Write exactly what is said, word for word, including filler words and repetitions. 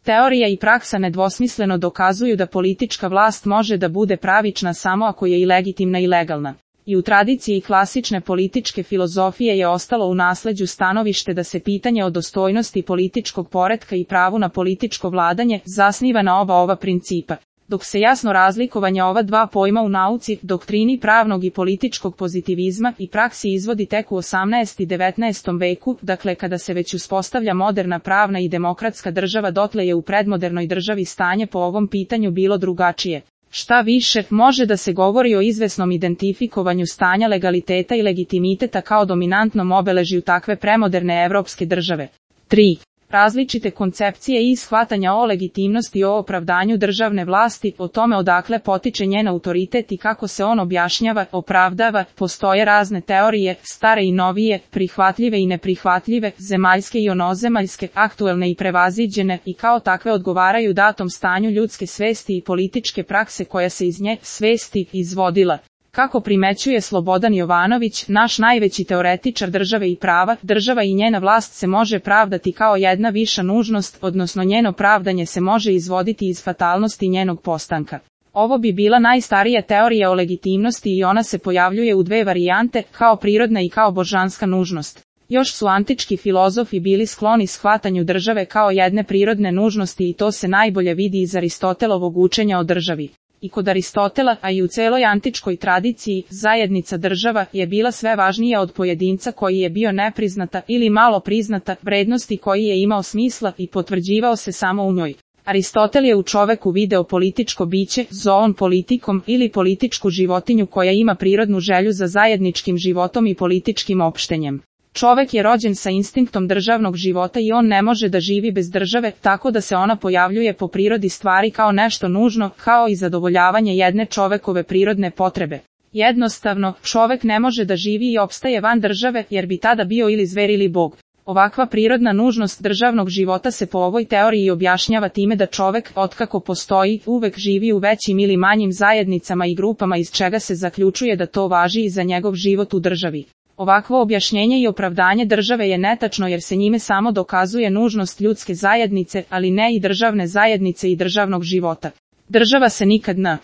Teorija i praksa nedvosmisleno dokazuju da politička vlast može da bude pravična samo ako je i legitimna i legalna. I u tradiciji klasične političke filozofije je ostalo u nasleđu stanovište da se pitanje o dostojnosti političkog poretka i pravu na političko vladanje zasniva na oba ova principa. Dok se jasno razlikovanje ova dva pojma u nauci, doktrini pravnog i političkog pozitivizma i praksi izvodi tek u osamnaestom i devetnaestom veku, dakle kada se već uspostavlja moderna pravna i demokratska država, dotle je u predmodernoj državi stanje po ovom pitanju bilo drugačije. Šta više, može da se govori o izvesnom identifikovanju stanja legaliteta i legitimiteta kao dominantnom obeležju takve premoderne evropske države. tri. Različite koncepcije i shvatanja o legitimnosti i o opravdanju državne vlasti, o tome odakle potiče njen autoritet i kako se on objašnjava, opravdava, postoje razne teorije, stare i novije, prihvatljive i neprihvatljive, zemaljske i onozemaljske, aktuelne i prevaziđene, i kao takve odgovaraju datom stanju ljudske svesti i političke prakse koja se iz nje svesti izvodila. Kako primećuje Slobodan Jovanović, naš najveći teoretičar države i prava, država i njena vlast se može pravdati kao jedna viša nužnost, odnosno njeno pravdanje se može izvoditi iz fatalnosti njenog postanka. Ovo bi bila najstarija teorija o legitimnosti i ona se pojavljuje u dve varijante, kao prirodna i kao božanska nužnost. Još su antički filozofi bili skloni shvatanju države kao jedne prirodne nužnosti i to se najbolje vidi iz Aristotelovog učenja o državi. I kod Aristotela, a i u celoj antičkoj tradiciji, zajednica država je bila sve važnija od pojedinca koji je bio nepriznata ili malo priznata vrednosti koji je imao smisla i potvrđivao se samo u njoj. Aristotel je u čoveku video političko biće, zoon politikom ili političku životinju koja ima prirodnu želju za zajedničkim životom i političkim opštenjem. Čovek je rođen sa instinktom državnog života i on ne može da živi bez države, tako da se ona pojavljuje po prirodi stvari kao nešto nužno, kao i zadovoljavanje jedne čovekove prirodne potrebe. Jednostavno, čovek ne može da živi i opstaje van države, jer bi tada bio ili zver ili bog. Ovakva prirodna nužnost državnog života se po ovoj teoriji objašnjava time da čovek, otkako postoji, uvek živi u većim ili manjim zajednicama i grupama iz čega se zaključuje da to važi i za njegov život u državi. Ovakvo objašnjenje i opravdanje države je netačno jer se njime samo dokazuje nužnost ljudske zajednice, ali ne i državne zajednice i državnog života. Država se nikad ne